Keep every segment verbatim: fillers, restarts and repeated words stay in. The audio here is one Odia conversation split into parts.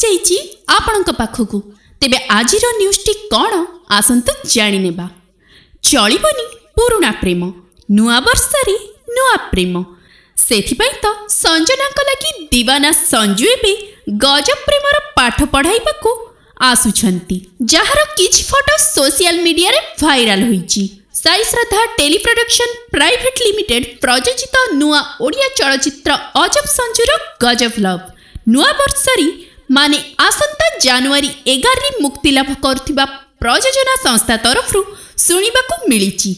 ଯାଇଛି ଆପଣଙ୍କ ପାଖକୁ। ତେବେ ଆଜିର ନ୍ୟୁଜ୍ଟି କ'ଣ, ଆସନ୍ତୁ ଜାଣିନେବା। ଚଳିବନି ପୁରୁଣା ପ୍ରେମ, ନୂଆ ବର୍ଷରେ ନୂଆ ପ୍ରେମ। ସେଥିପାଇଁ ତ ସଞ୍ଜନାଙ୍କ ଲାଗି ଦିୱାନା ସଞ୍ଜୁ ଏବେ ଗଜବ ପ୍ରେମର ପାଠ ପଢ଼ାଇବାକୁ ଆସୁଛନ୍ତି, ଯାହାର କିଛି ଫଟୋ ସୋସିଆଲ ମିଡିଆରେ ଭାଇରାଲ ହୋଇଛି। ସାଇ ଶ୍ରଦ୍ଧା ଟେଲି ପ୍ରଡକ୍ସନ ପ୍ରାଇଭେଟ ଲିମିଟେଡ୍ ପ୍ରଯୋଜିତ ନୂଆ ଓଡ଼ିଆ ଚଳଚ୍ଚିତ୍ର ଅଜବ ସଞ୍ଜୁର ଗଜବ ଲଭ୍ ନୂଆ ବର୍ଷରେ, ମାନେ ଆସନ୍ତା ଜାନୁଆରୀ ଏଗାରରେ ମୁକ୍ତିଲାଭ କରୁଥିବା ପ୍ରଯୋଜନା ସଂସ୍ଥା ତରଫରୁ ଶୁଣିବାକୁ ମିଳିଛି।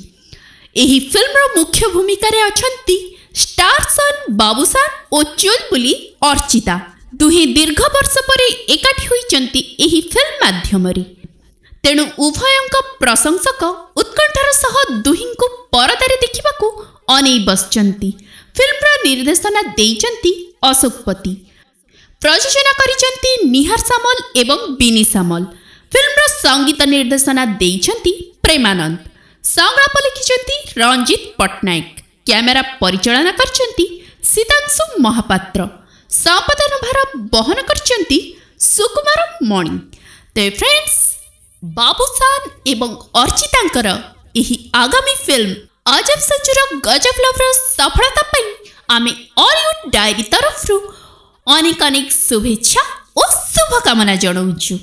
ଏହି ଫିଲ୍ମର ମୁଖ୍ୟ ଭୂମିକାରେ ଅଛନ୍ତି ଷ୍ଟାର ସନ୍ ବାବୁସାନ ଓ ଚୁଲବୁଲି ଅର୍ଚ୍ଚିତା। ଦୁହେଁ ଦୀର୍ଘ ବର୍ଷ ପରେ ଏକାଠି ହୋଇଛନ୍ତି ଏହି ଫିଲ୍ମ ମାଧ୍ୟମରେ। ତେଣୁ ଉଭୟଙ୍କ ପ୍ରଶଂସକ ଉତ୍କଣ୍ଠାର ସହ ଦୁହିଁଙ୍କୁ ପରଦାରେ ଦେଖିବାକୁ ଅନେଇ ବସିଛନ୍ତି। ଫିଲ୍ମର ନିର୍ଦ୍ଦେଶନା ଦେଇଛନ୍ତି ଅଶୋକ ପତି, ପ୍ରଯୋଜନା କରିଛନ୍ତି ନିହାର ସାମଲ ଏବଂ ବିନି ସାମଲ। ଫିଲ୍ମର ସଙ୍ଗୀତ ନିର୍ଦ୍ଦେଶନା ଦେଇଛନ୍ତି ପ୍ରେମାନନ୍ଦ, ସଂଳାପ ଲେଖିଛନ୍ତି ରଞ୍ଜିତ ପଟ୍ଟନାୟକ, କ୍ୟାମେରା ପରିଚାଳନା କରିଛନ୍ତି ସୀତାଂଶୁ ମହାପାତ୍ର, ସମ୍ପାଦନ ଭାର ବହନ କରିଛନ୍ତି ସୁକୁମାର ମଣି। ତେବେ ଫ୍ରେଣ୍ଡସ୍, ବାବୁସାନ ଏବଂ ଅର୍ଚ୍ଚିତାଙ୍କର ଏହି ଆଗାମୀ ଫିଲ୍ମ ଅଜବ ସଞ୍ଜୁର ଗଜବ ଲଭ୍ର ସଫଳତା ପାଇଁ ଆମେ ଅଲିଉଡ୍ ଡାଏରୀ ତରଫରୁ ଅନେକ ଅନେକ ଶୁଭେଚ୍ଛା ଓ ଶୁଭକାମନା ଜଣାଉଛୁ।